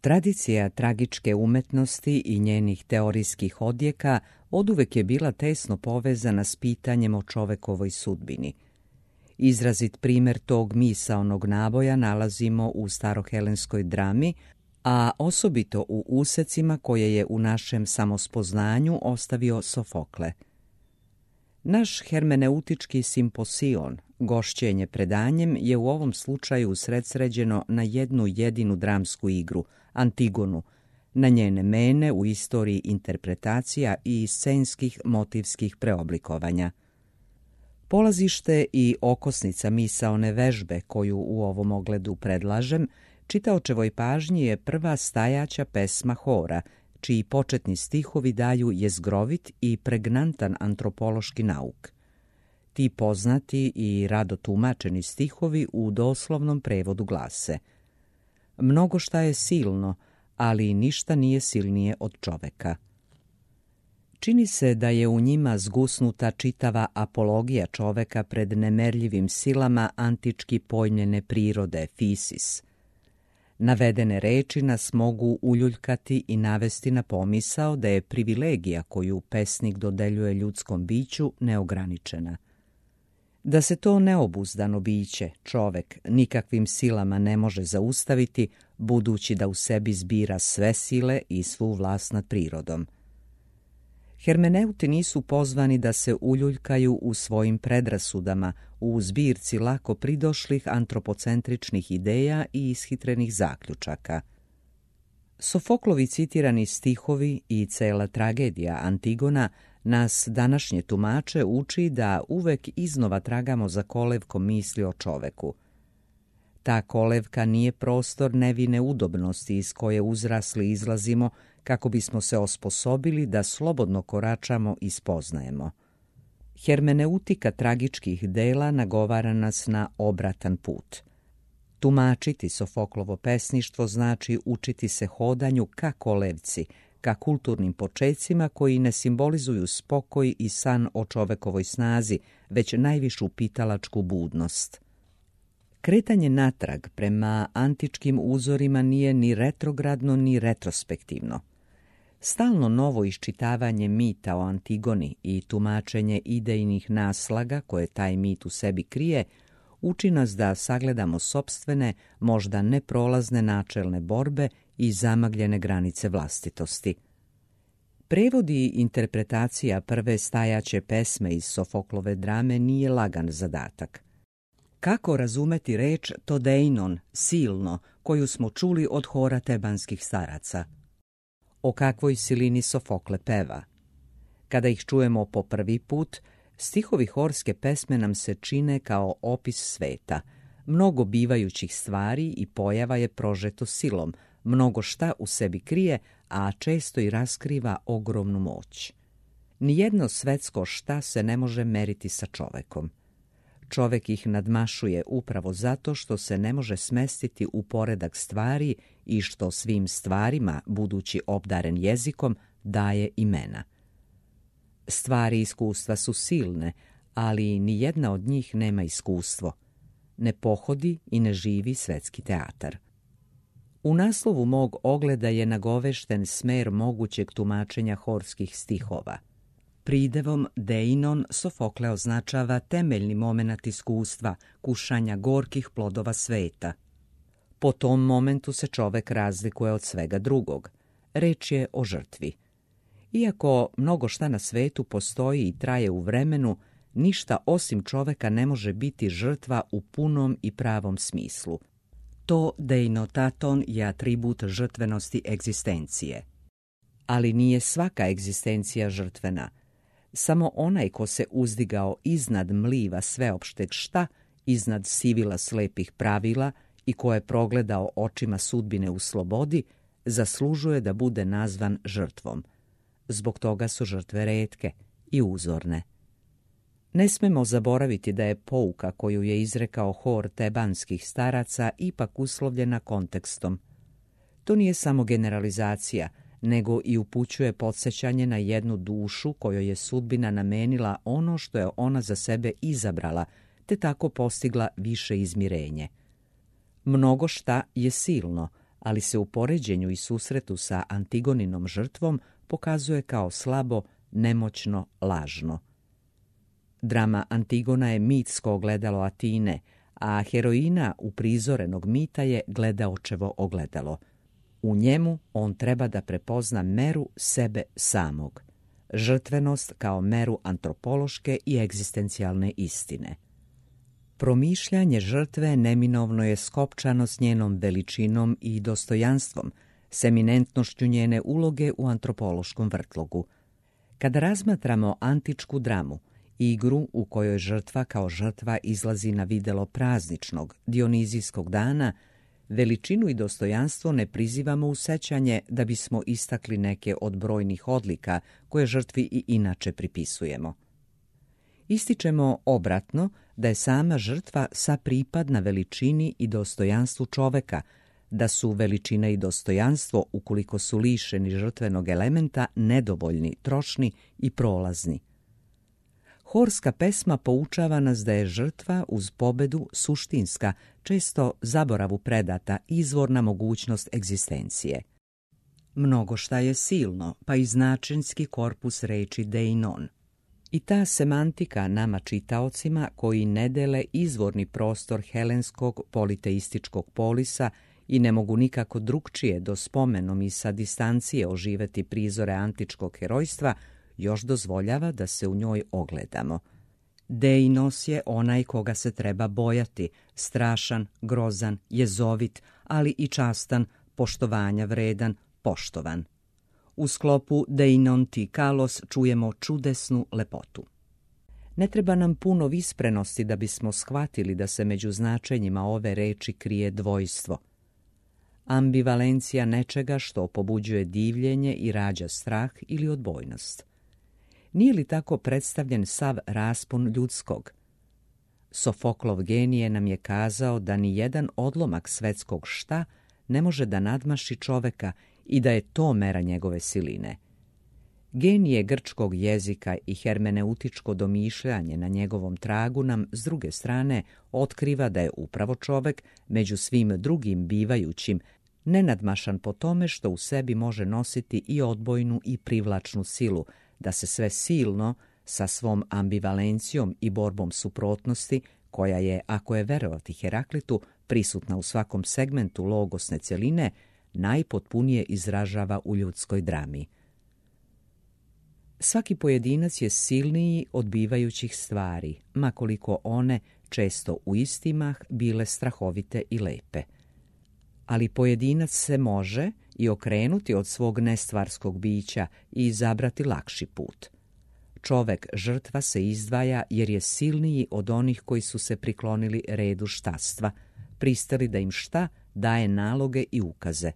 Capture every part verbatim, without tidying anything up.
Tradicija tragičke umetnosti i njenih teorijskih odjeka oduvek je bila tesno povezana s pitanjem o čovekovoj sudbini. Izrazit primjer tog misaonog naboja nalazimo u starohelenskoj drami, a osobito u usecima koje je u našem samospoznanju ostavio Sofokle. Naš hermeneutički simposion, gošćenje predanjem, je u ovom slučaju usredsređeno na jednu jedinu dramsku igru, Antigonu, na njene mene u istoriji interpretacija i scenskih motivskih preoblikovanja. Polazište i okosnica misaone vežbe koju u ovom ogledu predlažem, čitaočevoj pažnji je prva stajaća pesma hora, čiji početni stihovi daju jezgrovit i pregnantan antropološki nauk. Ti poznati i rado tumačeni stihovi u doslovnom prevodu glase: mnogo šta je silno, ali ništa nije silnije od čoveka. Čini se da je u njima zgusnuta čitava apologija čoveka pred nemerljivim silama antički pojmljene prirode, fisis. Navedene reči nas mogu uljuljkati i navesti na pomisao da je privilegija koju pesnik dodeljuje ljudskom biću neograničena. Da se to neobuzdano biće, čovek, nikakvim silama ne može zaustaviti, budući da u sebi zbira sve sile i svu vlast nad prirodom. Hermeneuti nisu pozvani da se uljuljkaju u svojim predrasudama, u zbirci lako pridošlih antropocentričnih ideja i ishitrenih zaključaka. Sofoklovi citirani stihovi i cela tragedija Antigona nas današnje tumače uči da uvek iznova tragamo za kolevkom misli o čoveku. Ta kolevka nije prostor nevine udobnosti iz koje uzrasli izlazimo kako bismo se osposobili da slobodno koračamo i spoznajemo. Hermeneutika tragičkih dela nagovara nas na obratan put. Tumačiti Sofoklovo pesništvo znači učiti se hodanju ka kolevci, ka kulturnim počecima koji ne simbolizuju spokoj i san o čovekovoj snazi, već najvišu pitalačku budnost. Kretanje natrag prema antičkim uzorima nije ni retrogradno ni retrospektivno. Stalno novo iščitavanje mita o Antigoni i tumačenje idejnih naslaga koje taj mit u sebi krije uči nas da sagledamo sopstvene, možda neprolazne načelne borbe i zamagljene granice vlastitosti. Prevod i interpretacija prve stajaće pesme iz Sofoklove drame nije lagan zadatak. Kako razumeti reč todeinon, silno, koju smo čuli od hora tebanskih staraca? O kakvoj silini Sofokle peva? Kada ih čujemo po prvi put, stihovi horske pesme nam se čine kao opis sveta. Mnogo bivajućih stvari i pojava je prožeto silom, mnogo šta u sebi krije, a često i raskriva ogromnu moć. Nijedno svetsko šta se ne može meriti sa čovekom. Čovek ih nadmašuje upravo zato što se ne može smestiti u poredak stvari i što svim stvarima, budući obdaren jezikom, daje imena. Stvari iskustva su silne, ali ni jedna od njih nema iskustvo. Ne pohodi i ne živi svetski teatar. U naslovu mog ogleda je nagovešten smer mogućeg tumačenja horskih stihova. Pridevom deinon Sofokle označava temeljni momenat iskustva, kušanja gorkih plodova sveta. Po tom momentu se čovek razlikuje od svega drugog. Reč je o žrtvi. Iako mnogo šta na svetu postoji i traje u vremenu, ništa osim čoveka ne može biti žrtva u punom i pravom smislu. To deinotaton je atribut žrtvenosti egzistencije. Ali nije svaka egzistencija žrtvena. Samo onaj ko se uzdigao iznad mliva sveopšteg šta, iznad sivila slepih pravila i ko je progledao očima sudbine u slobodi, zaslužuje da bude nazvan žrtvom. Zbog toga su žrtve retke i uzorne. Ne smemo zaboraviti da je pouka koju je izrekao hor tebanskih staraca ipak uslovljena kontekstom. To nije samo generalizacija, nego i upućuje podsjećanje na jednu dušu kojoj je sudbina namenila ono što je ona za sebe izabrala, te tako postigla više izmirenje. Mnogo šta je silno, ali se u poređenju i susretu sa Antigoninom žrtvom pokazuje kao slabo, nemoćno, lažno. Drama Antigona je mitsko ogledalo Atine, a heroina uprizorenog mita je gledaočevo ogledalo. U njemu on treba da prepozna meru sebe samog, žrtvenost kao meru antropološke i egzistencijalne istine. Promišljanje žrtve neminovno je skopčano s njenom veličinom i dostojanstvom, s eminentnošću njene uloge u antropološkom vrtlogu. Kada razmatramo antičku dramu, igru u kojoj žrtva kao žrtva izlazi na videlo prazničnog, dionizijskog dana, veličinu i dostojanstvo ne prizivamo u sećanje da bismo istakli neke od brojnih odlika koje žrtvi i inače pripisujemo. Ističemo obratno da je sama žrtva sapripadna veličini i dostojanstvu čoveka, da su veličina i dostojanstvo, ukoliko su lišeni žrtvenog elementa, nedovoljni, trošni i prolazni. Horska pesma poučava nas da je žrtva uz pobedu suštinska, često zaboravu predata, izvorna mogućnost egzistencije. Mnogo šta je silno, pa i značenski korpus reči deinon. I ta semantika nama čitaocima koji ne dele izvorni prostor helenskog politeističkog polisa i ne mogu nikako drugčije do spomenom i sa distancije oživeti prizore antičkog herojstva, još dozvoljava da se u njoj ogledamo. Deinos je onaj koga se treba bojati, strašan, grozan, jezovit, ali i častan, poštovanja vredan, poštovan. U sklopu Deinon ti kalos čujemo čudesnu lepotu. Ne treba nam puno visprenosti da bismo shvatili da se među značenjima ove reči krije dvojstvo. Ambivalencija nečega što pobuđuje divljenje i rađa strah ili odbojnost. Nije li tako predstavljen sav raspon ljudskog? Sofoklov genije nam je kazao da ni jedan odlomak svetskog šta ne može da nadmaši čoveka i da je to mera njegove siline. Genije grčkog jezika i hermeneutičko domišljanje na njegovom tragu nam, s druge strane, otkriva da je upravo čovek, među svim drugim bivajućim, nenadmašan po tome što u sebi može nositi i odbojnu i privlačnu silu, da se sve silno, sa svom ambivalencijom i borbom suprotnosti, koja je, ako je verovati Heraklitu, prisutna u svakom segmentu logosne celine, najpotpunije izražava u ljudskoj drami. Svaki pojedinac je silniji od bivajućih stvari, makoliko one, često u istimah, bile strahovite i lepe. Ali pojedinac se može i okrenuti od svog nestvarskog bića i izabrati lakši put. Čovek žrtva se izdvaja jer je silniji od onih koji su se priklonili redu štastva, pristali da im šta daje naloge i ukaze.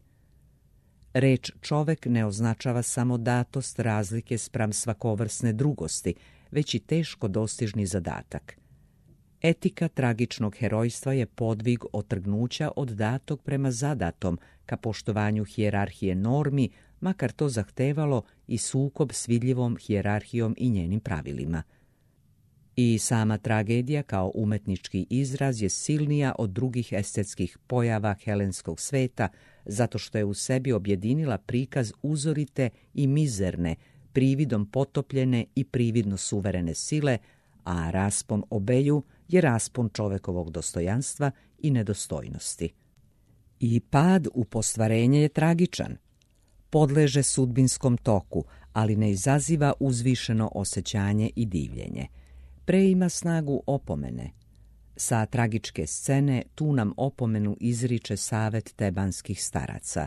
Reč čovek ne označava samo datost razlike spram svakovrsne drugosti, već i teško dostižni zadatak. Etika tragičnog herojstva je podvig otrgnuća od datog prema zadatom ka poštovanju hijerarhije normi, makar to zahtevalo i sukob s vidljivom hijerarhijom i njenim pravilima. I sama tragedija kao umetnički izraz je silnija od drugih estetskih pojava helenskog sveta, zato što je u sebi objedinila prikaz uzorite i mizerne, prividom potopljene i prividno suverene sile, a raspon obeju je raspon čovekovog dostojanstva i nedostojnosti. I pad u postvarenje je tragičan. Podleže sudbinskom toku, ali ne izaziva uzvišeno osjećanje i divljenje. Pre ima snagu opomene. Sa tragičke scene tu nam opomenu izriče savet tebanskih staraca.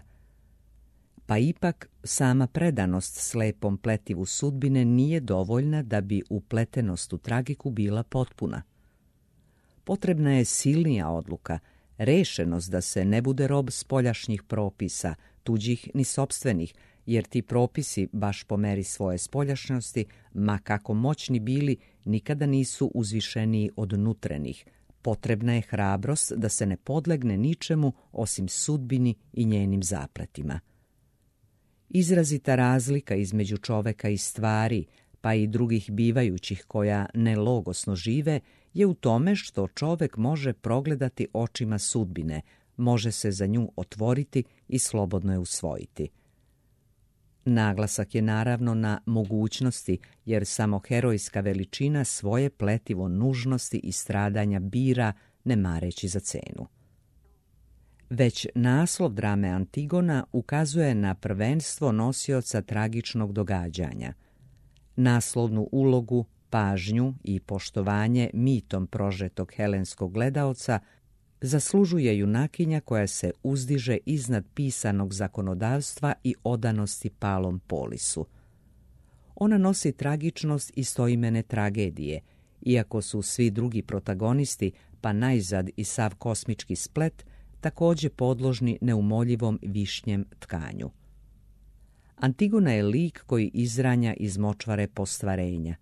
Pa ipak sama predanost slepom pletivu sudbine nije dovoljna da bi upletenost u tragiku bila potpuna. Potrebna je silnija odluka, rešenost da se ne bude rob spoljašnjih propisa, tuđih ni sopstvenih, jer ti propisi, baš po meri svoje spoljašnosti, ma kako moćni bili, nikada nisu uzvišeniji od nutrenih. Potrebna je hrabrost da se ne podlegne ničemu osim sudbini i njenim zapletima. Izrazita razlika između čoveka i stvari, pa i drugih bivajućih koja nelogosno žive, je u tome što čovek može progledati očima sudbine, može se za nju otvoriti i slobodno je usvojiti. Naglasak je naravno na mogućnosti, jer samo herojska veličina svoje pletivo nužnosti i stradanja bira, ne mareći za cenu. Već naslov drame Antigona ukazuje na prvenstvo nosioca tragičnog događanja. Naslovnu ulogu, pažnju i poštovanje mitom prožetog helenskog gledaoca zaslužuje junakinja koja se uzdiže iznad pisanog zakonodavstva i odanosti palom polisu. Ona nosi tragičnost istoimene tragedije, iako su svi drugi protagonisti, pa najzad i sav kosmički splet, također podložni neumoljivom višnjem tkanju. Antigona je lik koji izranja iz močvare postvarenja.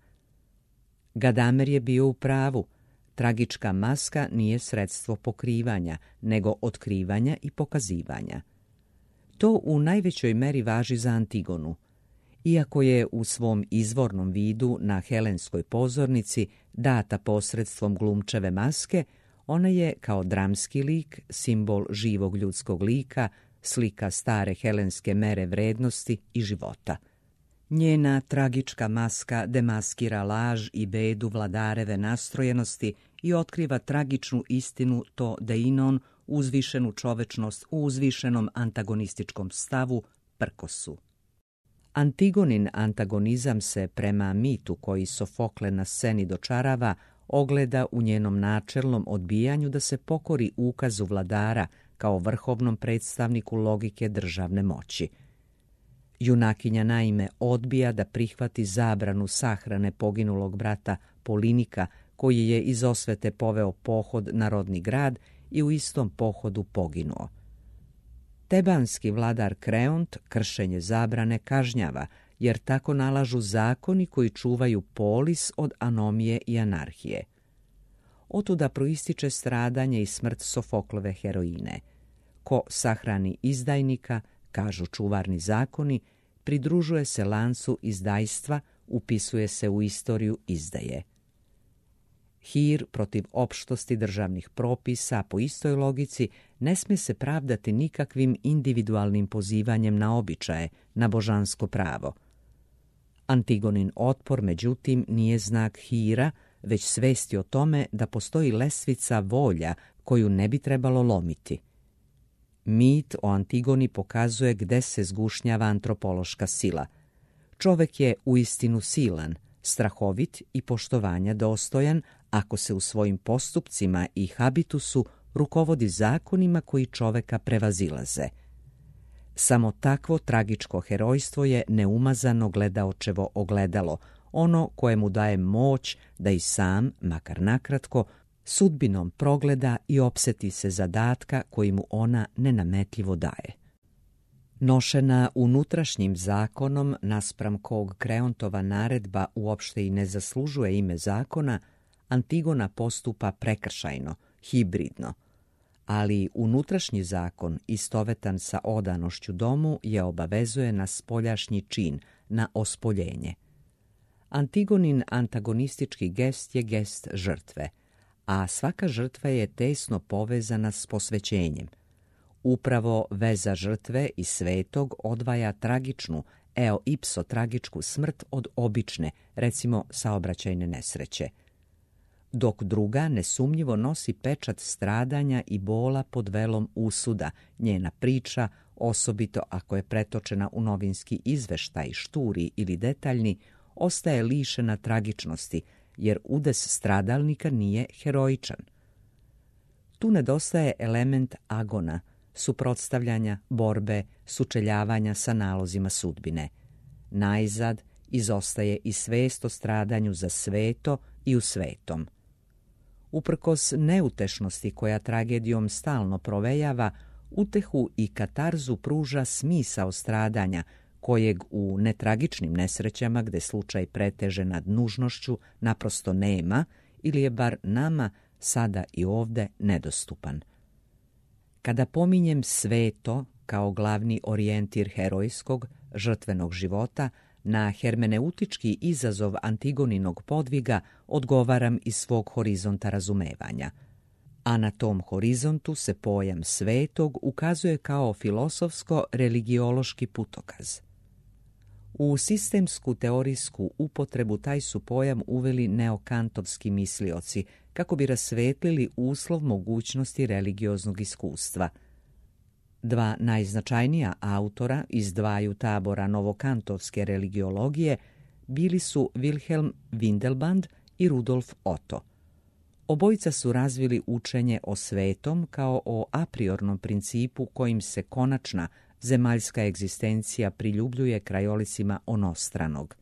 Gadamer je bio u pravu. Tragička maska nije sredstvo pokrivanja, nego otkrivanja i pokazivanja. To u najvećoj meri važi za Antigonu. Iako je u svom izvornom vidu na helenskoj pozornici data posredstvom glumčeve maske, ona je kao dramski lik, simbol živog ljudskog lika, slika stare helenske mere vrednosti i života. Njena tragička maska demaskira laž i bedu vladareve nastrojenosti i otkriva tragičnu istinu to deinon, uzvišenu čovečnost u uzvišenom antagonističkom stavu, prkosu. Antigonin antagonizam se prema mitu koji Sofokle na sceni dočarava ogleda u njenom načelnom odbijanju da se pokori ukazu vladara kao vrhovnom predstavniku logike državne moći. Junakinja naime odbija da prihvati zabranu sahrane poginulog brata Polinika, koji je iz osvete poveo pohod na rodni grad i u istom pohodu poginuo. Tebanski vladar Kreont kršenje zabrane kažnjava, jer tako nalažu zakoni koji čuvaju polis od anomije i anarhije. Otuda proističe stradanje i smrt Sofoklove heroine. Ko sahrani izdajnika, kažu čuvarni zakoni, pridružuje se lancu izdajstva, upisuje se u istoriju izdaje. Hir protiv opštosti državnih propisa po istoj logici ne smije se pravdati nikakvim individualnim pozivanjem na običaje, na božansko pravo. Antigonin otpor, međutim, nije znak hira, već svesti o tome da postoji lesvica volja koju ne bi trebalo lomiti. Mit o Antigoni pokazuje gde se zgušnjava antropološka sila. Čovek je uistinu silan, strahovit i poštovanja dostojan ako se u svojim postupcima i habitusu rukovodi zakonima koji čoveka prevazilaze. Samo takvo tragičko herojstvo je neumazano gledaočevo ogledalo, ono koje mu daje moć da i sam, makar nakratko, sudbinom progleda i opseti se zadatka koji mu ona nenametljivo daje. Nošena unutrašnjim zakonom, naspram kog Kreontova naredba uopšte i ne zaslužuje ime zakona, Antigona postupa prekršajno, hibridno, ali unutrašnji zakon, istovetan sa odanošću domu, je obavezuje na spoljašnji čin, na ospoljenje. Antigonin antagonistički gest je gest žrtve, a svaka žrtva je tesno povezana s posvećenjem. Upravo veza žrtve i svetog odvaja tragičnu, eo ipso tragičku smrt od obične, recimo saobraćajne nesreće. Dok druga nesumnjivo nosi pečat stradanja i bola pod velom usuda, njena priča, osobito ako je pretočena u novinski izveštaj, šturi ili detaljni, ostaje lišena tragičnosti, jer udes stradalnika nije heroičan. Tu nedostaje element agona, suprotstavljanja, borbe, sučeljavanja sa nalozima sudbine. Najzad izostaje i svest o stradanju za sveto i u svetom. Uprkos neutešnosti koja tragedijom stalno provejava, utehu i katarzu pruža smisao stradanja, kojeg u netragičnim nesrećama, gde slučaj preteže nad nužnošću, naprosto nema ili je bar nama sada i ovde nedostupan. Kada pominjem sveto kao glavni orijentir herojskog, žrtvenog života, na hermeneutički izazov Antigoninog podviga odgovaram iz svog horizonta razumevanja. A na tom horizontu se pojam svetog ukazuje kao filosofsko-religiološki putokaz. U sistemsku teorijsku upotrebu taj su pojam uveli neokantovski mislioci kako bi rasvetlili uslov mogućnosti religioznog iskustva. Dva najznačajnija autora iz dvaju tabora novokantovske religiologije bili su Wilhelm Windelband i Rudolf Otto. Obojica su razvili učenje o svetom kao o apriornom principu kojim se konačna zemaljska egzistencija priljubljuje krajolicima onostranog.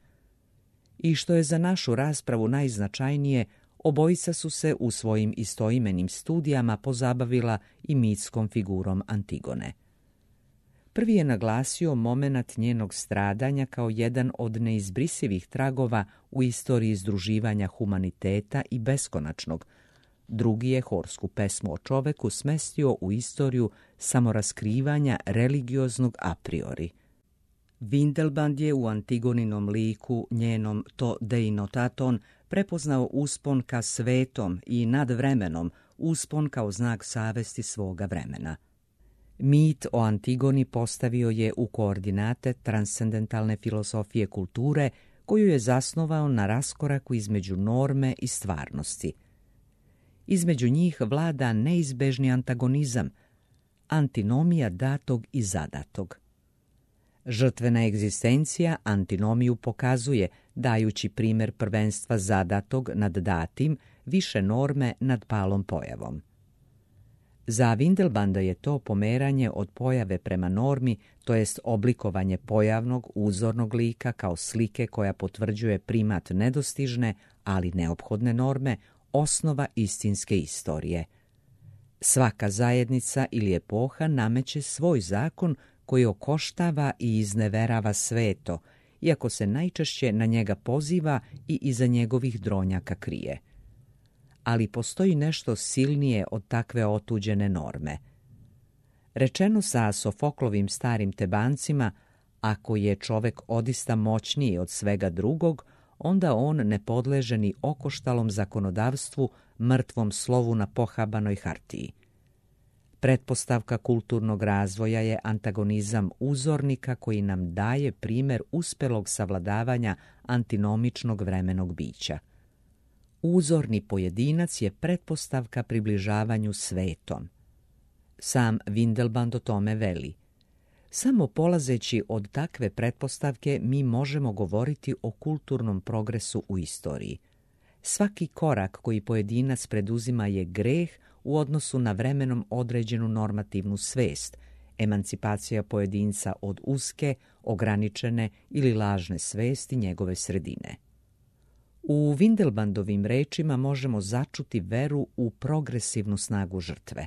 I što je za našu raspravu najznačajnije, obojica su se u svojim istoimenim studijama pozabavila i mitskom figurom Antigone. Prvi je naglasio momenat njenog stradanja kao jedan od neizbrisivih tragova u istoriji združivanja humaniteta i beskonačnog. Drugi je horsku pesmu o čoveku smestio u istoriju samoraskrivanja religioznog a priori. Windelband je u Antigoninom liku, njenom to deinotaton, prepoznao uspon ka svetom i nad vremenom, uspon kao znak savesti svoga vremena. Mit o Antigoni postavio je u koordinate transcendentalne filosofije kulture, koju je zasnovao na raskoraku između norme i stvarnosti. Između njih vlada neizbežni antagonizam, antinomija datog i zadatog. Žrtvena egzistencija antinomiju pokazuje, dajući primjer prvenstva zadatog nad datim, više norme nad palom pojavom. Za Windelbanda je to pomeranje od pojave prema normi, to jest oblikovanje pojavnog, uzornog lika kao slike koja potvrđuje primat nedostižne, ali neophodne norme, osnova istinske istorije. Svaka zajednica ili epoha nameće svoj zakon koji okoštava i izneverava sveto, iako se najčešće na njega poziva i iza njegovih dronjaka krije. Ali postoji nešto silnije od takve otuđene norme. Rečeno sa Sofoklovim starim Tebancima, ako je čovek odista moćniji od svega drugog, onda on ne podleže ni okoštalom zakonodavstvu, mrtvom slovu na pohabanoj hartiji. Pretpostavka kulturnog razvoja je antagonizam uzornika koji nam daje primjer uspelog savladavanja antinomičnog vremenog bića. Uzorni pojedinac je pretpostavka približavanju svetom. Sam Windelband o tome veli: samo polazeći od takve pretpostavke mi možemo govoriti o kulturnom progresu u istoriji. Svaki korak koji pojedinac preduzima je greh u odnosu na vremenom određenu normativnu svest, emancipacija pojedinca od uske, ograničene ili lažne svesti njegove sredine. U Windelbandovim rečima možemo začuti veru u progresivnu snagu žrtve.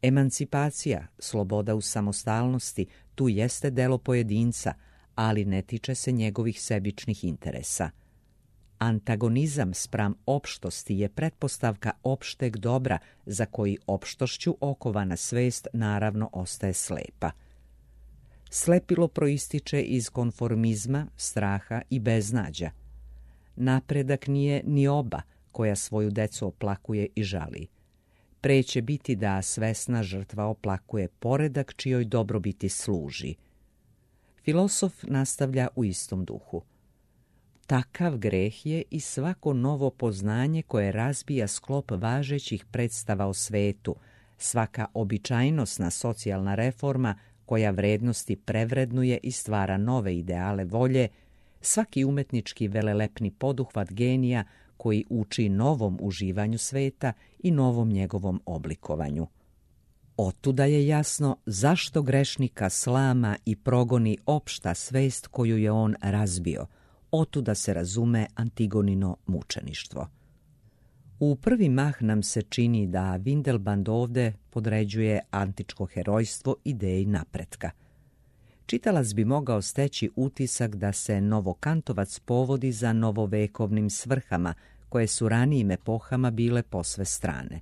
Emancipacija, sloboda u samostalnosti, tu jeste delo pojedinca, ali ne tiče se njegovih sebičnih interesa. Antagonizam spram opštosti je pretpostavka opšteg dobra, za koji opštošću okovana svest naravno ostaje slepa. Slepilo proističe iz konformizma, straha i beznađa. Napredak nije ni oba koja svoju decu oplakuje i žali. Pre će biti da svesna žrtva oplakuje poredak čijoj dobrobiti služi. Filosof nastavlja u istom duhu. Takav greh je i svako novo poznanje koje razbija sklop važećih predstava o svetu, svaka običajnosna socijalna reforma koja vrednosti prevrednuje i stvara nove ideale volje, svaki umetnički velelepni poduhvat genija koji uči novom uživanju sveta i novom njegovom oblikovanju. Otuda je jasno zašto grešnika slama i progoni opšta svest koju je on razbio. Otuda se razume Antigonino mučeništvo. U prvi mah nam se čini da Windelband ovde podređuje antičko herojstvo ideji napretka. Čitalac bi mogao steći utisak da se novokantovac povodi za novovekovnim svrhama, koje su ranijim epohama bile posve strane.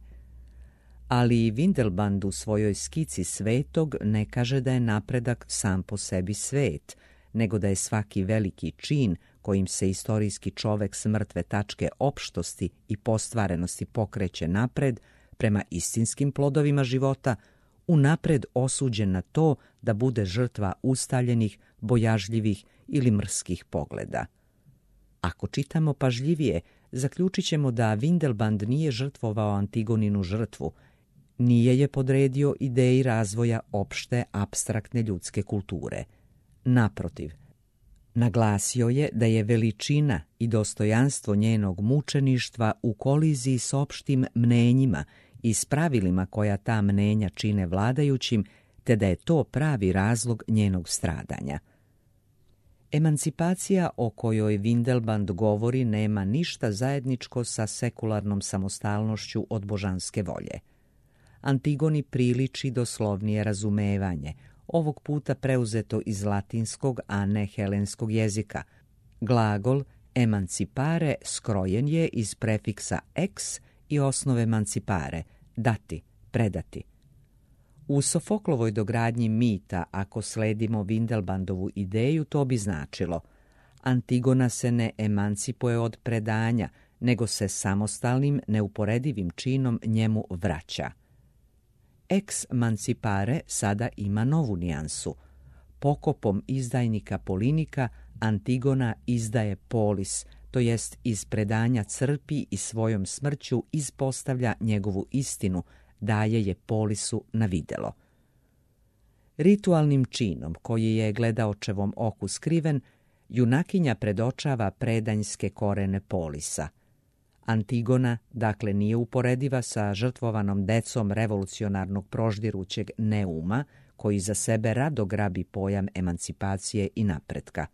Ali Windelband u svojoj skici svetog ne kaže da je napredak sam po sebi svet, nego da je svaki veliki čin kojim se istorijski čovek s mrtve tačke opštosti i postvarenosti pokreće napred, prema istinskim plodovima života, unapred osuđen na to da bude žrtva ustaljenih, bojažljivih ili mrskih pogleda. Ako čitamo pažljivije, zaključit ćemo da Windelband nije žrtvovao Antigoninu žrtvu, nije je podredio ideji razvoja opšte, apstraktne ljudske kulture. Naprotiv, naglasio je da je veličina i dostojanstvo njenog mučeništva u koliziji s opštim mnenjima i s pravilima koja ta mnenja čine vladajućim, te da je to pravi razlog njenog stradanja. Emancipacija o kojoj Windelband govori nema ništa zajedničko sa sekularnom samostalnošću od božanske volje. Antigoni priliči doslovnije razumevanje, ovog puta preuzeto iz latinskog, a ne helenskog jezika. Glagol emancipare skrojen je iz prefiksa ex i osnove emancipare, dati, predati. U Sofoklovoj dogradnji mita, ako sledimo Windelbandovu ideju, to bi značilo: Antigona se ne emancipuje od predanja, nego se samostalnim, neuporedivim činom njemu vraća. Ex mancipare sada ima novu nijansu. Pokopom izdajnika Polinika Antigona izdaje polis, to jest iz predanja crpi i svojom smrću ispostavlja njegovu istinu, daje je polisu na videlo. Ritualnim činom, koji je gledaočevom oku skriven, junakinja predočava predanjske korene polisa. Antigona, dakle, nije uporediva sa žrtvovanom decom revolucionarnog proždirućeg Neuma, koji za sebe rado grabi pojam emancipacije i napretka.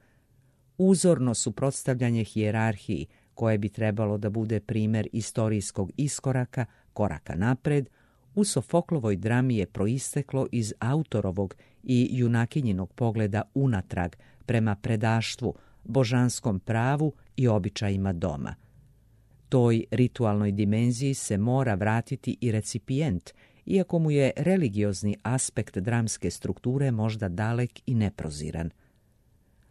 Uzorno suprotstavljanje hijerarhiji, koje bi trebalo da bude primer istorijskog iskoraka, koraka napred, u Sofoklovoj drami je proisteklo iz autorovog i junakinjinog pogleda unatrag prema predaštvu, božanskom pravu i običajima doma. Toj ritualnoj dimenziji se mora vratiti i recipijent, iako mu je religiozni aspekt dramske strukture možda dalek i neproziran.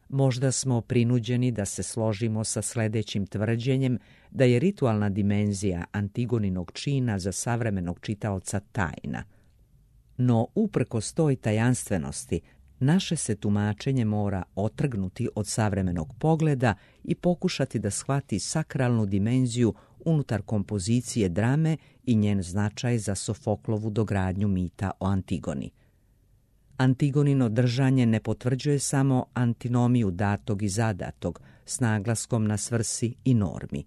Možda smo prinuđeni da se složimo sa sledećim tvrđenjem da je ritualna dimenzija Antigoninog čina za savremenog čitaoca tajna. No, uprkos toj tajanstvenosti, naše se tumačenje mora otrgnuti od savremenog pogleda i pokušati da shvati sakralnu dimenziju unutar kompozicije drame i njen značaj za Sofoklovu dogradnju mita o Antigoni. Antigonino držanje ne potvrđuje samo antinomiju datog i zadatog s naglaskom na svrsi i normi.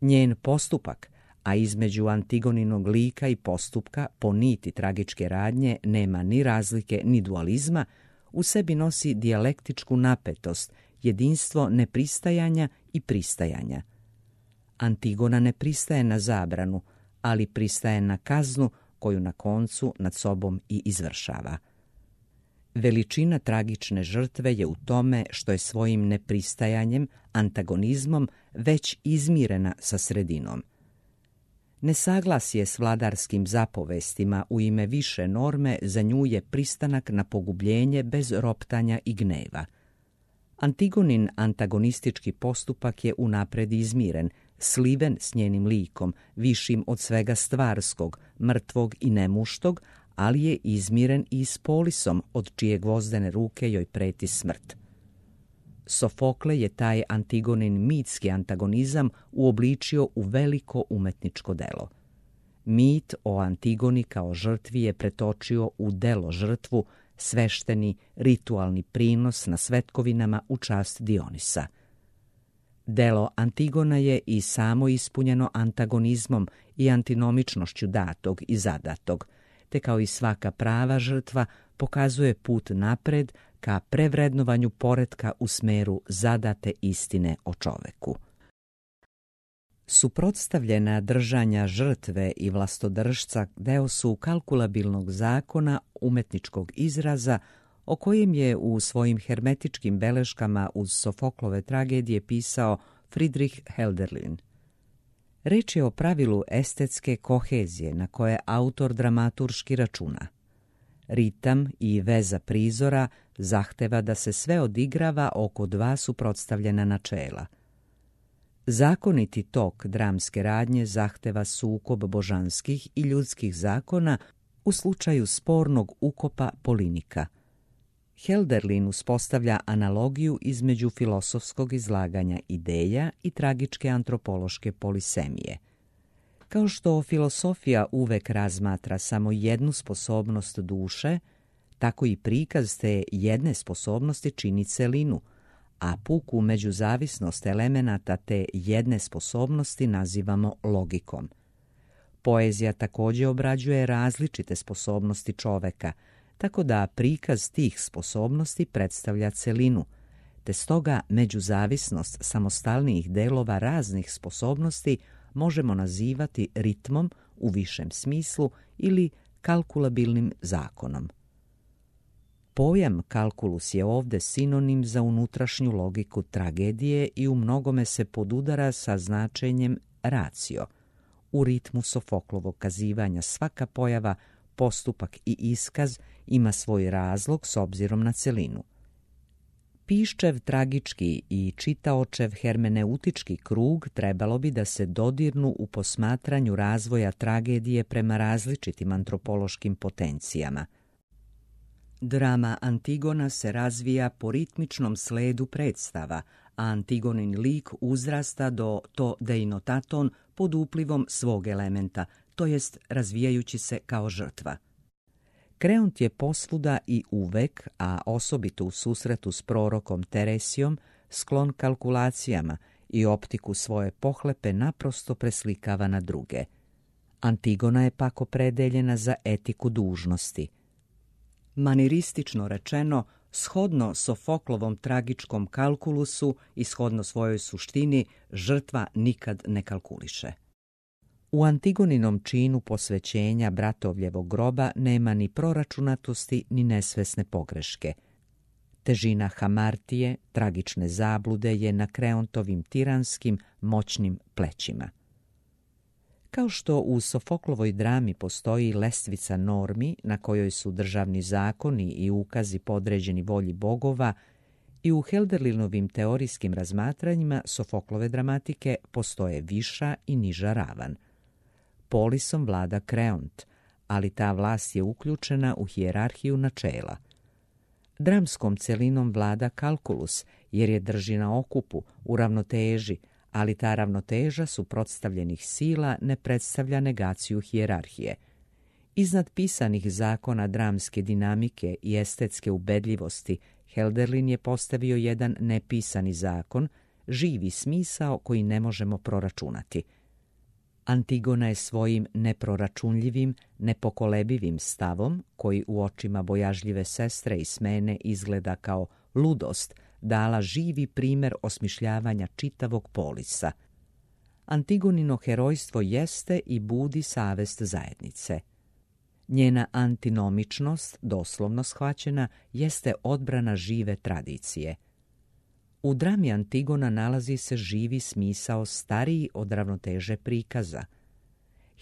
Njen postupak, a između Antigoninog lika i postupka po niti tragičke radnje nema ni razlike ni dualizma, u sebi nosi dijalektičku napetost, jedinstvo nepristajanja i pristajanja. Antigona ne pristaje na zabranu, ali pristaje na kaznu koju na koncu nad sobom i izvršava. Veličina tragične žrtve je u tome što je svojim nepristajanjem, antagonizmom, već izmirena sa sredinom. Nesaglasje s vladarskim zapovestima u ime više norme za nju je pristanak na pogubljenje bez roptanja i gneva. Antigonin antagonistički postupak je unapred izmiren, sliven s njenim likom, višim od svega stvarskog, mrtvog i nemuštog, ali je izmiren i s polisom od čije gvozdene ruke joj preti smrt. Sofokle je taj Antigonin mitski antagonizam uobličio u veliko umetničko delo. Mit o Antigoni kao žrtvi je pretočio u delo žrtvu, svešteni, ritualni prinos na svetkovinama u čast Dionisa. Delo Antigona je i samo ispunjeno antagonizmom i antinomičnošću datog i zadatog, te kao i svaka prava žrtva pokazuje put napred ka prevrednovanju poretka u smeru zadate istine o čoveku. Suprotstavljena držanja žrtve i vlastodržca deo su kalkulabilnog zakona umetničkog izraza o kojem je u svojim hermetičkim beleškama uz Sofoklove tragedije pisao Friedrich Hölderlin. Reč je o pravilu estetske kohezije na koje autor dramaturški računa. Ritam i veza prizora zahteva da se sve odigrava oko dva suprotstavljena načela. Zakoniti tok dramske radnje zahteva sukob božanskih i ljudskih zakona u slučaju spornog ukopa Polinika. Hölderlin uspostavlja analogiju između filosofskog izlaganja ideja i tragičke antropološke polisemije. Kao što filosofija uvek razmatra samo jednu sposobnost duše, tako i prikaz te jedne sposobnosti čini celinu, a puku međuzavisnost elemenata te jedne sposobnosti nazivamo logikom. Poezija također obrađuje različite sposobnosti čoveka, tako da prikaz tih sposobnosti predstavlja celinu, te stoga međuzavisnost samostalnijih delova raznih sposobnosti možemo nazivati ritmom u višem smislu ili kalkulabilnim zakonom. Pojam kalkulus je ovdje sinonim za unutrašnju logiku tragedije i u mnogome se podudara sa značenjem racio. U ritmu Sofoklovog kazivanja svaka pojava, postupak i iskaz ima svoj razlog s obzirom na celinu. Piščev tragički i čitaočev hermeneutički krug trebalo bi da se dodirnu u posmatranju razvoja tragedije prema različitim antropološkim potencijama. Drama Antigona se razvija po ritmičnom sledu predstava, a Antigonin lik uzrasta do to deinotaton pod uplivom svog elementa, to jest razvijajući se kao žrtva. Kreont je posvuda i uvek, a osobito u susretu s prorokom Teresijom, sklon kalkulacijama i optiku svoje pohlepe naprosto preslikava na druge. Antigona je pak opredeljena za etiku dužnosti. Maniristično rečeno, shodno Sofoklovom tragičkom kalkulusu i shodno svojoj suštini, žrtva nikad ne kalkuliše. U Antigoninom činu posvećenja bratovljevog groba nema ni proračunatosti ni nesvesne pogreške. Težina hamartije, tragične zablude je na Kreontovim tiranskim, moćnim plećima. Kao što u Sofoklovoj drami postoji lestvica normi na kojoj su državni zakoni i ukazi podređeni volji bogova, i u Hölderlinovim teorijskim razmatranjima Sofoklove dramatike postoje viša i niža ravan. Polisom vlada Kreont, ali ta vlast je uključena u hijerarhiju načela. Dramskom celinom vlada kalkulus, jer je drži na okupu, u ravnoteži, ali ta ravnoteža suprotstavljenih sila ne predstavlja negaciju hijerarhije. Iznad pisanih zakona dramske dinamike i estetske ubedljivosti, Hölderlin je postavio jedan nepisani zakon, živi smisao koji ne možemo proračunati. Antigona je svojim neproračunljivim, nepokolebivim stavom, koji u očima bojažljive sestre i smene izgleda kao ludost, dala živi primer osmišljavanja čitavog polisa. Antigonino herojstvo jeste i budi savest zajednice. Njena antinomičnost, doslovno shvaćena, jeste odbrana žive tradicije. U drami Antigona nalazi se živi smisao stariji od ravnoteže prikaza.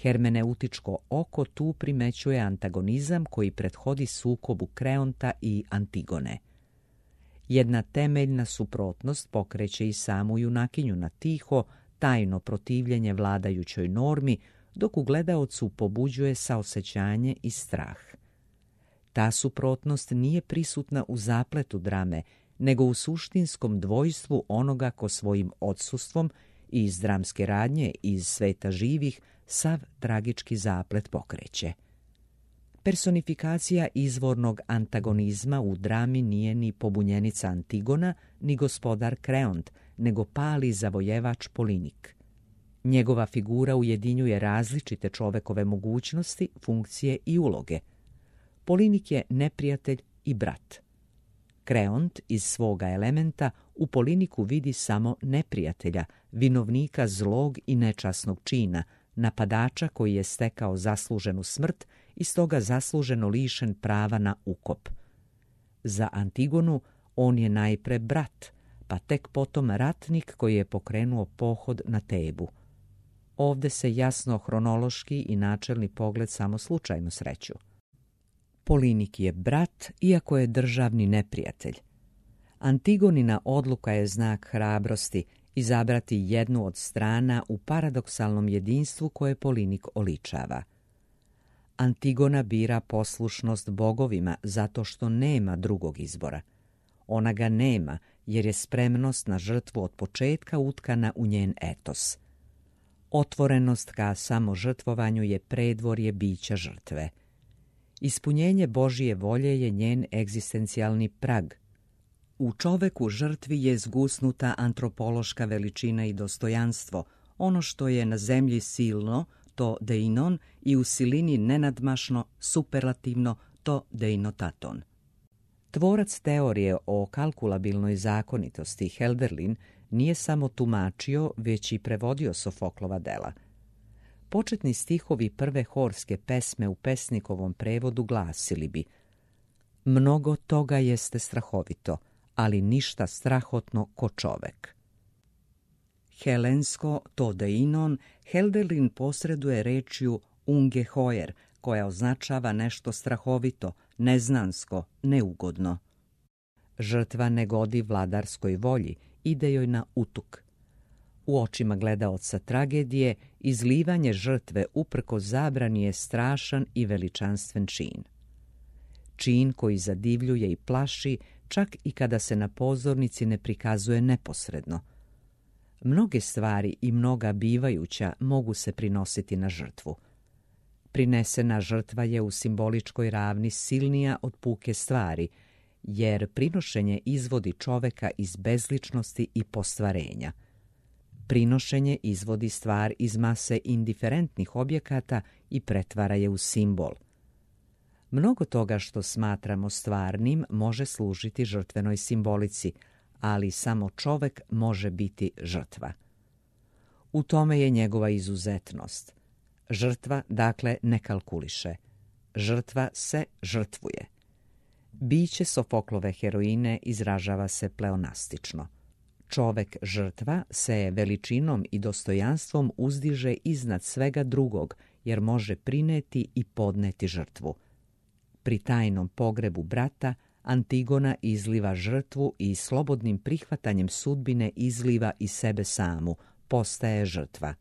Hermeneutičko oko tu primećuje antagonizam koji prethodi sukobu Kreonta i Antigone. Jedna temeljna suprotnost pokreće i samu junakinju na tiho, tajno protivljenje vladajućoj normi, dok u gledaocu pobuđuje saosećanje i strah. Ta suprotnost nije prisutna u zapletu drame, nego u suštinskom dvojstvu onoga ko svojim odsustvom i iz dramske radnje i iz sveta živih sav tragički zaplet pokreće. Personifikacija izvornog antagonizma u drami nije ni pobunjenica Antigona, ni gospodar Kreont, nego pali zavojevač Polinik. Njegova figura ujedinjuje različite čovekove mogućnosti, funkcije i uloge. Polinik je neprijatelj i brat. Kreont iz svoga elementa u Poliniku vidi samo neprijatelja, vinovnika zlog i nečasnog čina, napadača koji je stekao zasluženu smrt i stoga zasluženo lišen prava na ukop. Za Antigonu on je najpre brat, pa tek potom ratnik koji je pokrenuo pohod na Tebu. Ovde se jasno hronološki i načelni pogled samo slučajno sreću. Polinik je brat, iako je državni neprijatelj. Antigonina odluka je znak hrabrosti izabrati jednu od strana u paradoksalnom jedinstvu koje Polinik oličava. Antigona bira poslušnost bogovima zato što nema drugog izbora. Ona ga nema jer je spremnost na žrtvu od početka utkana u njen etos. Otvorenost ka samožrtvovanju je predvorje bića žrtve. Ispunjenje Božije volje je njen egzistencijalni prag. U čoveku žrtvi je zgusnuta antropološka veličina i dostojanstvo, ono što je na zemlji silno, to deinon, i u silini nenadmašno, superlativno, to deinotaton. Tvorac teorije o kalkulabilnoj zakonitosti Hölderlin nije samo tumačio, već i prevodio Sofoklova dela. Početni stihovi prve horske pesme u pesnikovom prevodu glasili bi: mnogo toga jeste strahovito, ali ništa strahotno ko čovek. Helensko to deinon Hölderlin posreduje rečju ungeheuer, koja označava nešto strahovito, neznansko, neugodno. Žrtva ne godi vladarskoj volji, ide joj na utuk. U očima gledaoca tragedije, izlivanje žrtve uprko zabrani je strašan i veličanstven čin. Čin koji zadivljuje i plaši, čak i kada se na pozornici ne prikazuje neposredno. Mnoge stvari i mnoga bivajuća mogu se prinositi na žrtvu. Prinesena žrtva je u simboličkoj ravni silnija od puke stvari, jer prinošenje izvodi čoveka iz bezličnosti i postvarenja. Prinošenje izvodi stvar iz mase indiferentnih objekata i pretvara je u simbol. Mnogo toga što smatramo stvarnim može služiti žrtvenoj simbolici, ali samo čovek može biti žrtva. U tome je njegova izuzetnost. Žrtva, dakle, ne kalkuliše. Žrtva se žrtvuje. Biće Sofoklove heroine izražava se pleonastično. Čovek žrtva se veličinom i dostojanstvom uzdiže iznad svega drugog, jer može prineti i podneti žrtvu. Pri tajnom pogrebu brata Antigona izliva žrtvu i slobodnim prihvatanjem sudbine izliva i sebe samu, postaje žrtva.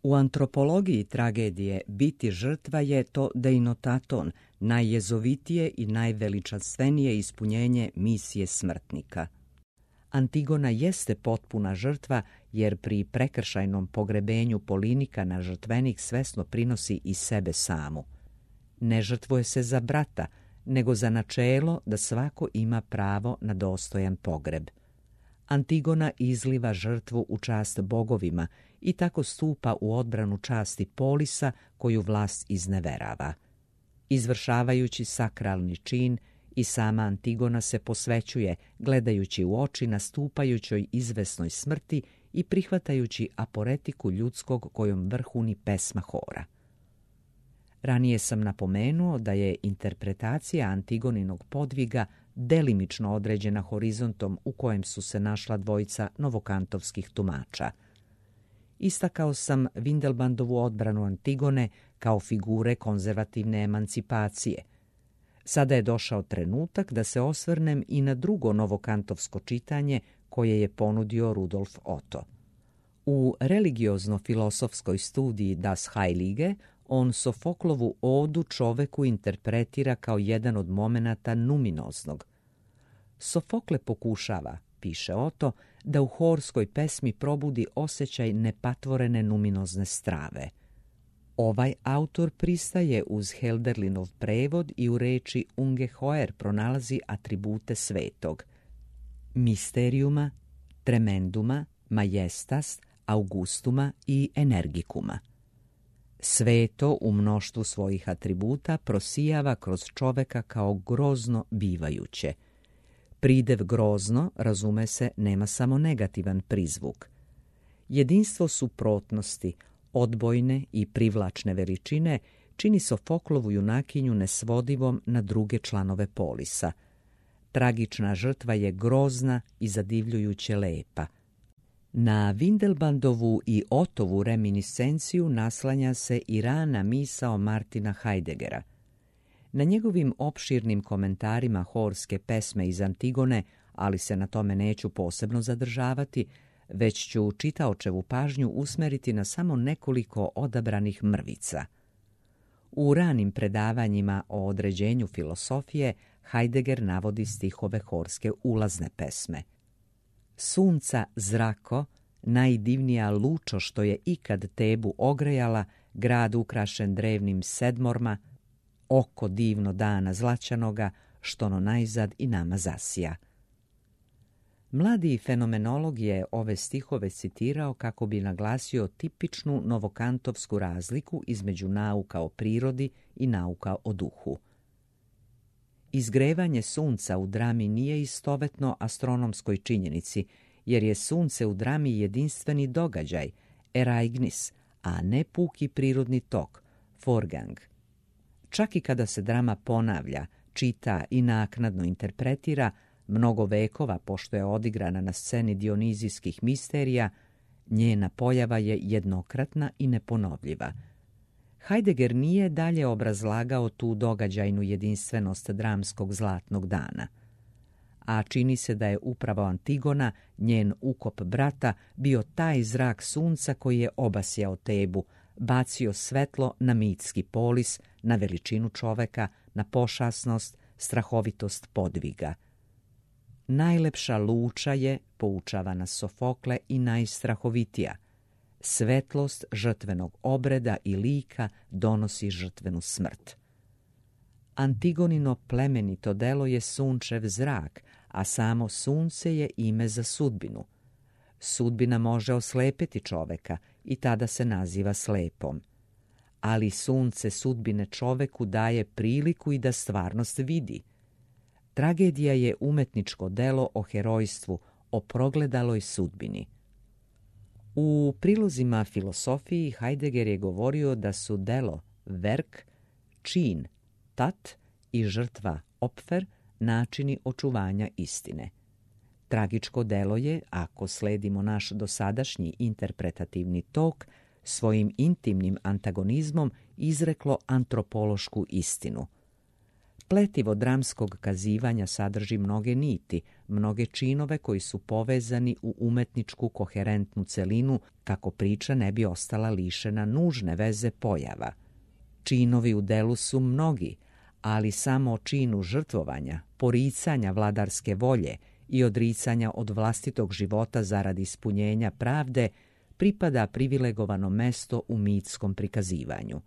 U antropologiji tragedije biti žrtva je to deinotaton, najjezovitije i najveličanstvenije ispunjenje misije smrtnika. Antigona jeste potpuna žrtva jer pri prekršajnom pogrebenju Polinika na žrtvenik svesno prinosi i sebe samu. Ne žrtvuje se za brata, nego za načelo da svako ima pravo na dostojan pogreb. Antigona izliva žrtvu u čast bogovima i tako stupa u odbranu časti Polisa koju vlast izneverava. Izvršavajući sakralni čin, i sama Antigona se posvećuje, gledajući u oči nastupajućoj izvesnoj smrti i prihvatajući aporetiku ljudskog kojom vrhuni pesma hora. Ranije sam napomenuo da je interpretacija Antigoninog podviga delimično određena horizontom u kojem su se našla dvojica novokantovskih tumača. Istakao sam Windelbandovu odbranu Antigone kao figure konzervativne emancipacije. Sada je došao trenutak da se osvrnem i na drugo novokantovsko čitanje koje je ponudio Rudolf Otto. U religiozno-filosofskoj studiji Das Heilige on Sofoklovu odu čoveku interpretira kao jedan od momenata numinoznog. Sofokle pokušava, piše Otto, da u horskoj pesmi probudi osjećaj nepatvorene numinozne strave. Ovaj autor pristaje uz Hölderlinov prevod i u reči ungeheuer pronalazi atribute svetog: misteriuma, tremenduma, majestas, augustuma i energikuma. Sveto u mnoštvu svojih atributa prosijava kroz čoveka kao grozno bivajuće. Pridev grozno, razume se, nema samo negativan prizvuk. Jedinstvo suprotnosti, odbojne i privlačne veličine čini Sofoklovu junakinju nesvodivom na druge članove Polisa. Tragična žrtva je grozna i zadivljujuće lepa. Na Windelbandovu i Ottovu reminiscenciju naslanja se i rana misao Martina Heideggera. Na njegovim opširnim komentarima horske pesme iz Antigone, ali se na tome neću posebno zadržavati, već ću čitaočevu pažnju usmeriti na samo nekoliko odabranih mrvica. U ranim predavanjima o određenju filosofije Heidegger navodi stihove horske ulazne pesme. Sunca zrako, najdivnija lučo što je ikad Tebu ogrejala, grad ukrašen drevnim sedmorma, oko divno dana zlaćanoga, što no najzad i nama zasija. Mladi fenomenolog je ove stihove citirao kako bi naglasio tipičnu novokantovsku razliku između nauka o prirodi i nauka o duhu. Izgrevanje sunca u drami nije istovetno astronomskoj činjenici, jer je sunce u drami jedinstveni događaj, ereignis, a ne puki prirodni tok, forgang. Čak i kada se drama ponavlja, čita i naknadno interpretira, mnogo vekova pošto je odigrana na sceni dionizijskih misterija, njena pojava je jednokratna i neponovljiva. Heidegger nije dalje obrazlagao tu događajnu jedinstvenost dramskog zlatnog dana. A čini se da je upravo Antigona, njen ukop brata, bio taj zrak sunca koji je obasjao Tebu, bacio svetlo na mitski polis, na veličinu čoveka, na pošasnost, strahovitost podviga. Najlepša luča je, poučava nas Sofokle, i najstrahovitija. Svetlost žrtvenog obreda i lika donosi žrtvenu smrt. Antigonino plemenito delo je sunčev zrak, a samo sunce je ime za sudbinu. Sudbina može oslepiti čoveka i tada se naziva slepom. Ali sunce sudbine čoveku daje priliku i da stvarnost vidi. Tragedija je umetničko delo o herojstvu, o progledaloj sudbini. U prilozima filosofiji Heidegger je govorio da su delo, werk, čin, tat i žrtva, opfer, načini očuvanja istine. Tragičko delo je, ako sledimo naš dosadašnji interpretativni tok, svojim intimnim antagonizmom izreklo antropološku istinu. Pletivo dramskog kazivanja sadrži mnoge niti, mnoge činove koji su povezani u umetničku koherentnu celinu, kako priča ne bi ostala lišena nužne veze pojava. Činovi u delu su mnogi, ali samo o činu žrtvovanja, poricanja vladarske volje i odricanja od vlastitog života zarad ispunjenja pravde pripada privilegovano mesto u mitskom prikazivanju.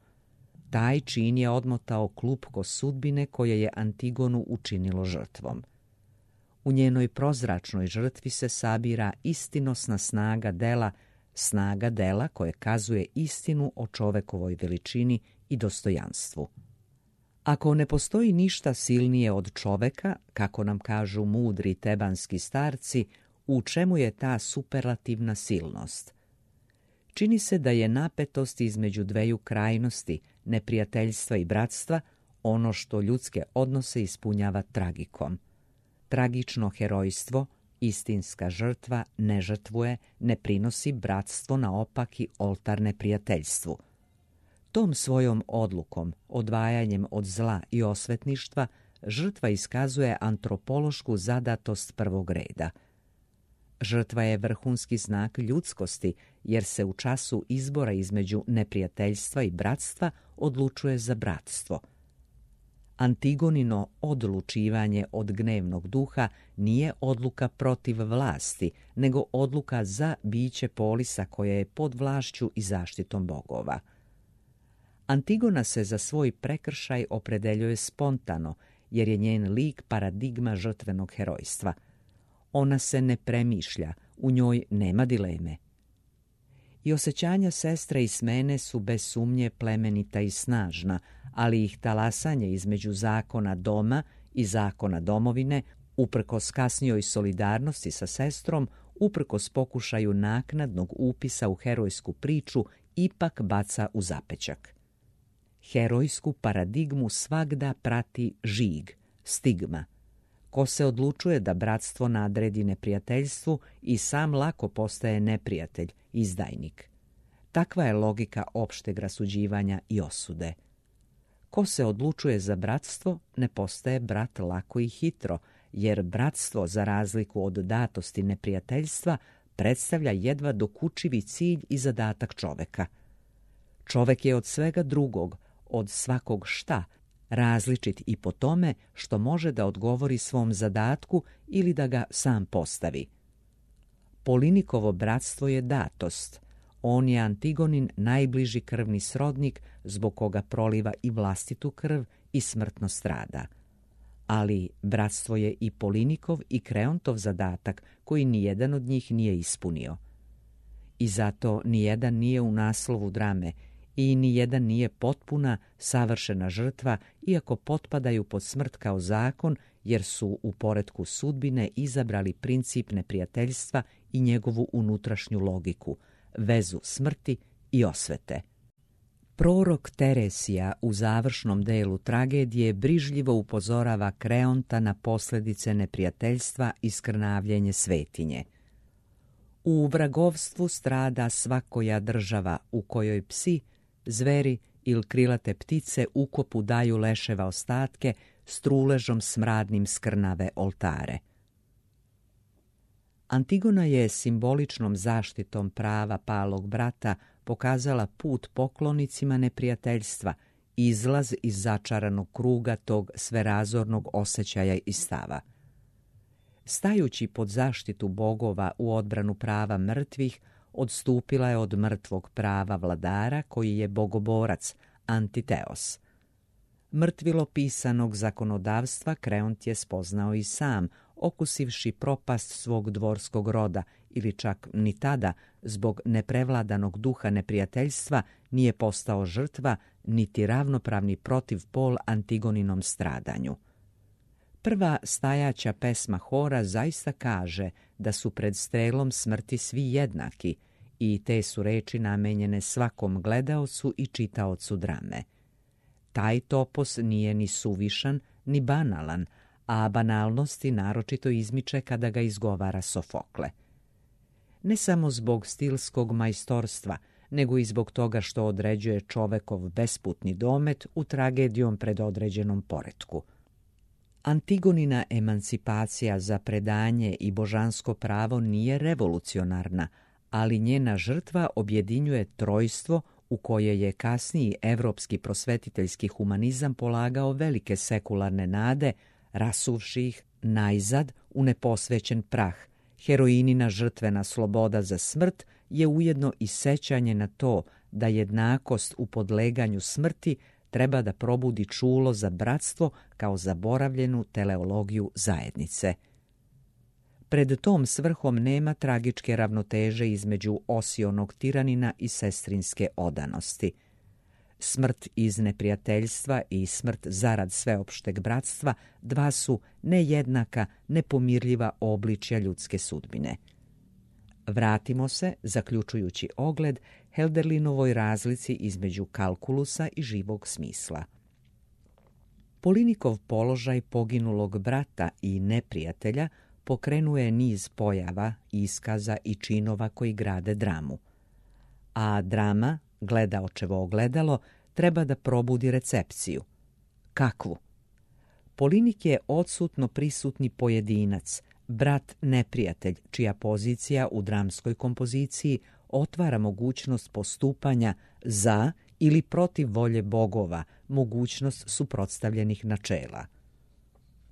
Taj čin je odmotao klupko sudbine koje je Antigonu učinilo žrtvom. U njenoj prozračnoj žrtvi se sabira istinosna snaga dela, snaga dela koje kazuje istinu o čovekovoj veličini i dostojanstvu. Ako ne postoji ništa silnije od čoveka, kako nam kažu mudri tebanski starci, u čemu je ta superlativna silnost? Čini se da je napetost između dveju krajnosti, neprijateljstva i bratstva, ono što ljudske odnose ispunjava tragikom. Tragično herojstvo, istinska žrtva, ne žrtvuje, ne prinosi bratstvo na opaki oltar neprijateljstvu. Tom svojom odlukom, odvajanjem od zla i osvetništva, žrtva iskazuje antropološku zadatost prvog reda. Žrtva je vrhunski znak ljudskosti, jer se u času izbora između neprijateljstva i bratstva odlučuje za bratstvo. Antigonino odlučivanje od gnevnog duha nije odluka protiv vlasti, nego odluka za biće polisa koje je pod vlašću i zaštitom bogova. Antigona se za svoj prekršaj opredeljuje spontano, jer je njen lik paradigma žrtvenog herojstva. Ona se ne premišlja, u njoj nema dileme. I osjećanja sestre i smene su bez sumnje plemenita i snažna, ali ih talasanje između zakona doma i zakona domovine, uprkos kasnijoj solidarnosti sa sestrom, uprkos pokušaju naknadnog upisa u herojsku priču, ipak baca u zapećak. Herojsku paradigmu svagda prati žig, stigma. Ko se odlučuje da bratstvo nadredi neprijateljstvu i sam lako postaje neprijatelj, izdajnik. Takva je logika opšteg rasuđivanja i osude. Ko se odlučuje za bratstvo, ne postaje brat lako i hitro, jer bratstvo, za razliku od datosti neprijateljstva, predstavlja jedva dokučivi cilj i zadatak čoveka. Čovek je od svega drugog, od svakog šta, različit i po tome što može da odgovori svom zadatku ili da ga sam postavi. Polinikovo bratstvo je datost. On je Antigonin najbliži krvni srodnik zbog koga proliva i vlastitu krv i smrtno strada. Ali bratstvo je i Polinikov i Kreontov zadatak koji nijedan od njih nije ispunio. I zato nijedan nije u naslovu drame i nijedan nije potpuna, savršena žrtva, iako potpadaju pod smrt kao zakon, jer su u poretku sudbine izabrali princip neprijateljstva i njegovu unutrašnju logiku, vezu smrti i osvete. Prorok Teresija u završnom delu tragedije brižljivo upozorava Kreonta na posljedice neprijateljstva i skrnavljenje svetinje. U vragovstvu strada svakoja država u kojoj psi, zveri ili krilate ptice ukopu daju leševa ostatke, s truležom smradnim skrnave oltare. Antigona je simboličnom zaštitom prava palog brata pokazala put poklonicima neprijateljstva, izlaz iz začaranog kruga tog sverazornog osjećaja i stava. Stajući pod zaštitu bogova u odbranu prava mrtvih, odstupila je od mrtvog prava vladara koji je bogoborac, Antiteos. Mrtvilo pisanog zakonodavstva Kreont je spoznao i sam, okusivši propast svog dvorskog roda, ili čak ni tada, zbog neprevladanog duha neprijateljstva, nije postao žrtva, niti ravnopravni protiv pol Antigoninom stradanju. Prva stajaća pesma hora zaista kaže da su pred strelom smrti svi jednaki i te su reči namenjene svakom gledaocu i čitaocu drame. Taj topos nije ni suvišan, ni banalan, a banalnosti naročito izmiče kada ga izgovara Sofokle. Ne samo zbog stilskog majstorstva, nego i zbog toga što određuje čovekov besputni domet u tragedijom predodređenom poretku. Antigonina emancipacija za predanje i božansko pravo nije revolucionarna, ali njena žrtva objedinjuje trojstvo u koje je kasniji evropski prosvetiteljski humanizam polagao velike sekularne nade, rasuvši ih najzad u neposvećen prah. Heroinina žrtvena sloboda za smrt je ujedno i sećanje na to da jednakost u podleganju smrti treba da probudi čulo za bratstvo kao zaboravljenu teleologiju zajednice. Pred tom svrhom nema tragičke ravnoteže između osionog tiranina i sestrinske odanosti. Smrt iz neprijateljstva i smrt zarad sveopšteg bratstva dva su nejednaka, nepomirljiva obličja ljudske sudbine. Vratimo se, zaključujući ogled, Helderlinovoj razlici između kalkulusa i živog smisla. Polinikov položaj poginulog brata i neprijatelja pokrenuje niz pojava, iskaza i činova koji grade dramu. A drama, gledaočevo ogledalo, treba da probudi recepciju. Kakvu? Polinik je odsutno prisutni pojedinac, brat neprijatelj, čija pozicija u dramskoj kompoziciji otvara mogućnost postupanja za ili protiv volje bogova, mogućnost suprotstavljenih načela.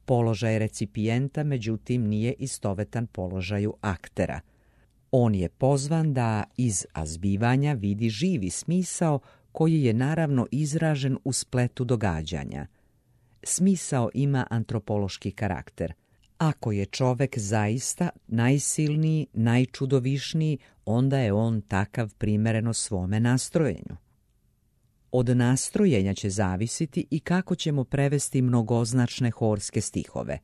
Položaj recipijenta, međutim, nije istovetan položaju aktera. On je pozvan da iz azbivanja vidi živi smisao koji je naravno izražen u spletu događanja. Smisao ima antropološki karakter. Ako je čovek zaista najsilniji, najčudovišniji, onda je on takav primereno svome nastrojenju. Od nastrojenja će zavisiti i kako ćemo prevesti mnogoznačne horske stihove.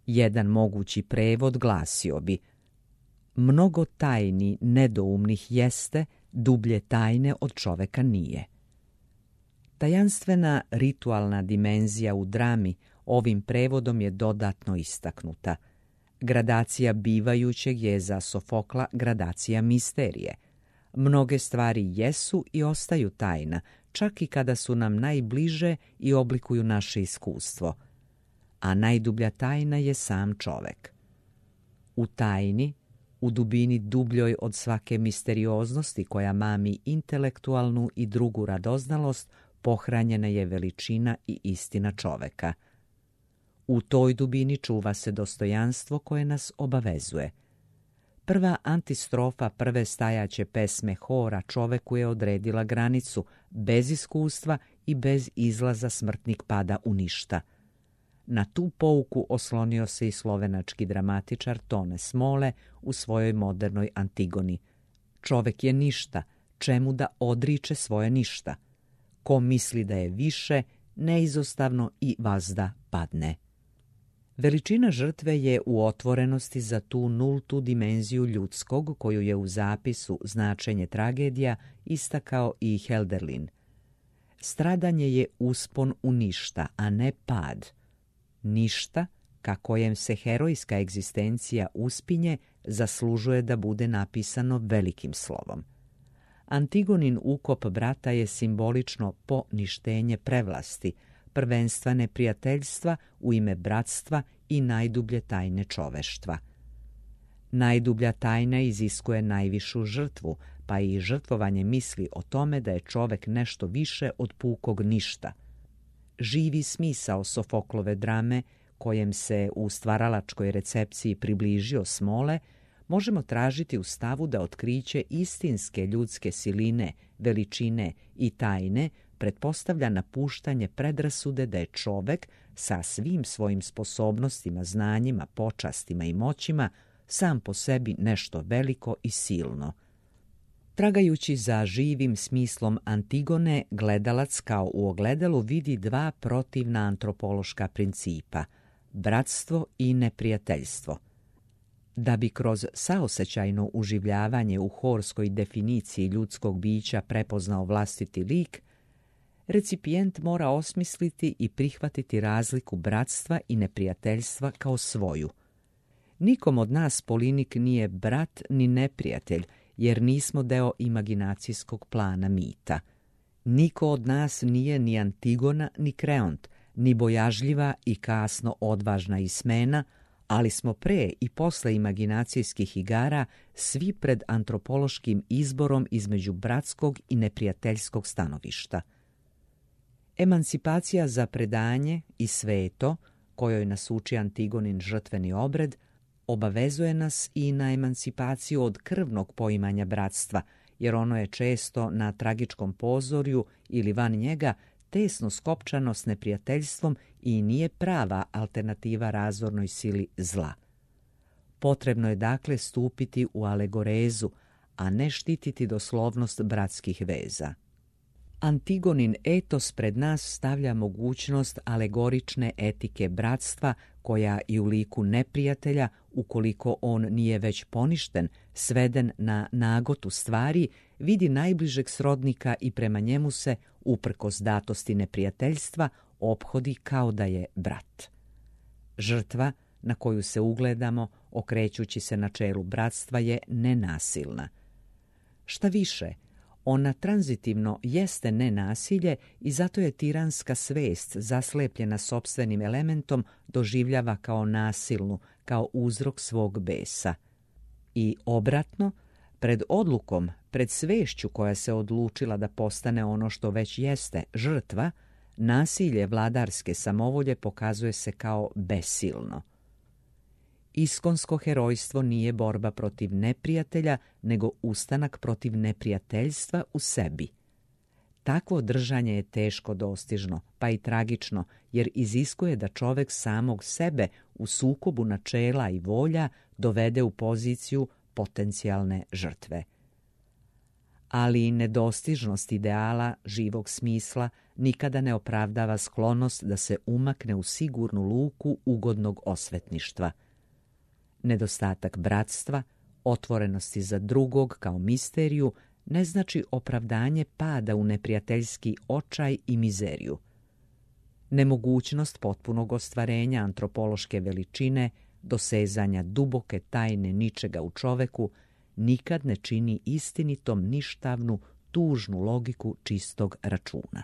Jedan mogući prevod glasio bi: mnogo tajni nedoumnih jeste, dublje tajne od čoveka nije. Tajanstvena ritualna dimenzija u drami ovim prevodom je dodatno istaknuta. Gradacija bivajućeg je za Sofokla gradacija misterije. Mnoge stvari jesu i ostaju tajna, čak i kada su nam najbliže i oblikuju naše iskustvo. A najdublja tajna je sam čovek. U tajni, U dubini dubljoj od svake misterioznosti koja mami intelektualnu i drugu radoznalost, pohranjena je veličina i istina čoveka. U toj dubini čuva se dostojanstvo koje nas obavezuje. Prva antistrofa prve stajaće pesme hora čoveku je odredila granicu, bez iskustva i bez izlaza smrtnik pada u ništa. Na tu pouku oslonio se i slovenački dramatičar Tone Smole u svojoj modernoj Antigoni. Čovek je ništa, čemu da odriče svoje ništa. Ko misli da je više, neizostavno i vazda padne. Veličina žrtve je u otvorenosti za tu nultu dimenziju ljudskog koju je u zapisu Značenje tragedija istakao i Helderlin. Stradanje je uspon u ništa, a ne pad. Ništa, ka kojem se herojska egzistencija uspinje, zaslužuje da bude napisano velikim slovom. Antigonin ukop brata je simbolično poništenje prevlasti, prvenstva neprijateljstva u ime bratstva i najdublje tajne čoveštva. Najdublja tajna iziskuje najvišu žrtvu, pa i žrtvovanje misli o tome da je čovek nešto više od pukog ništa. Živi smisao Sofoklove drame, kojem se u stvaralačkoj recepciji približio Smole, možemo tražiti u stavu da otkriće istinske ljudske siline, veličine i tajne pretpostavlja napuštanje predrasude da je čovek sa svim svojim sposobnostima, znanjima, počastima i moćima sam po sebi nešto veliko i silno. Tragajući za živim smislom Antigone, gledalac kao u ogledalu vidi dva protivna antropološka principa – bratstvo i neprijateljstvo. Da bi kroz saosećajno uživljavanje u horskoj definiciji ljudskog bića prepoznao vlastiti lik, recipijent mora osmisliti i prihvatiti razliku bratstva i neprijateljstva kao svoju. Nikom od nas Polinik nije brat ni neprijatelj, jer nismo deo imaginacijskog plana mita. Niko od nas nije ni Antigona ni Kreont, ni bojažljiva i kasno odvažna Ismena, ali smo pre i posle imaginacijskih igara svi pred antropološkim izborom između bratskog i neprijateljskog stanovišta. Emancipacija za predanje i sveto, kojoj nas uči Antigonin žrtveni obred, obavezuje nas i na emancipaciju od krvnog poimanja bratstva, jer ono je često na tragičkom pozorju ili van njega tesno skopčano s neprijateljstvom i nije prava alternativa razornoj sili zla. Potrebno je dakle stupiti u alegorezu, a ne štititi doslovnost bratskih veza. Antigonin etos pred nas stavlja mogućnost alegorične etike bratstva koja i u liku neprijatelja, ukoliko on nije već poništen, sveden na nagotu stvari, vidi najbližeg srodnika i prema njemu se, uprkos datosti neprijateljstva, ophodi kao da je brat. Žrtva na koju se ugledamo, okrećući se načelu bratstva, je nenasilna. Šta više, ona tranzitivno jeste nenasilje i zato je tiranska svest, zaslepljena sopstvenim elementom, doživljava kao nasilnu, kao uzrok svog besa. I obratno, pred odlukom, pred svešću koja se odlučila da postane ono što već jeste, žrtva, nasilje vladarske samovolje pokazuje se kao besilno. Iskonsko herojstvo nije borba protiv neprijatelja, nego ustanak protiv neprijateljstva u sebi. Takvo držanje je teško dostižno, pa i tragično, jer iziskuje da čovek samog sebe u sukobu načela i volja dovede u poziciju potencijalne žrtve. Ali i nedostižnost ideala živog smisla nikada ne opravdava sklonost da se umakne u sigurnu luku ugodnog osvetništva. Nedostatak bratstva, otvorenosti za drugog kao misteriju, ne znači opravdanje pada u neprijateljski očaj i mizeriju. Nemogućnost potpunog ostvarenja antropološke veličine, dosezanja duboke tajne ničega u čoveku, nikad ne čini istinitom ništavnu, tužnu logiku čistog računa.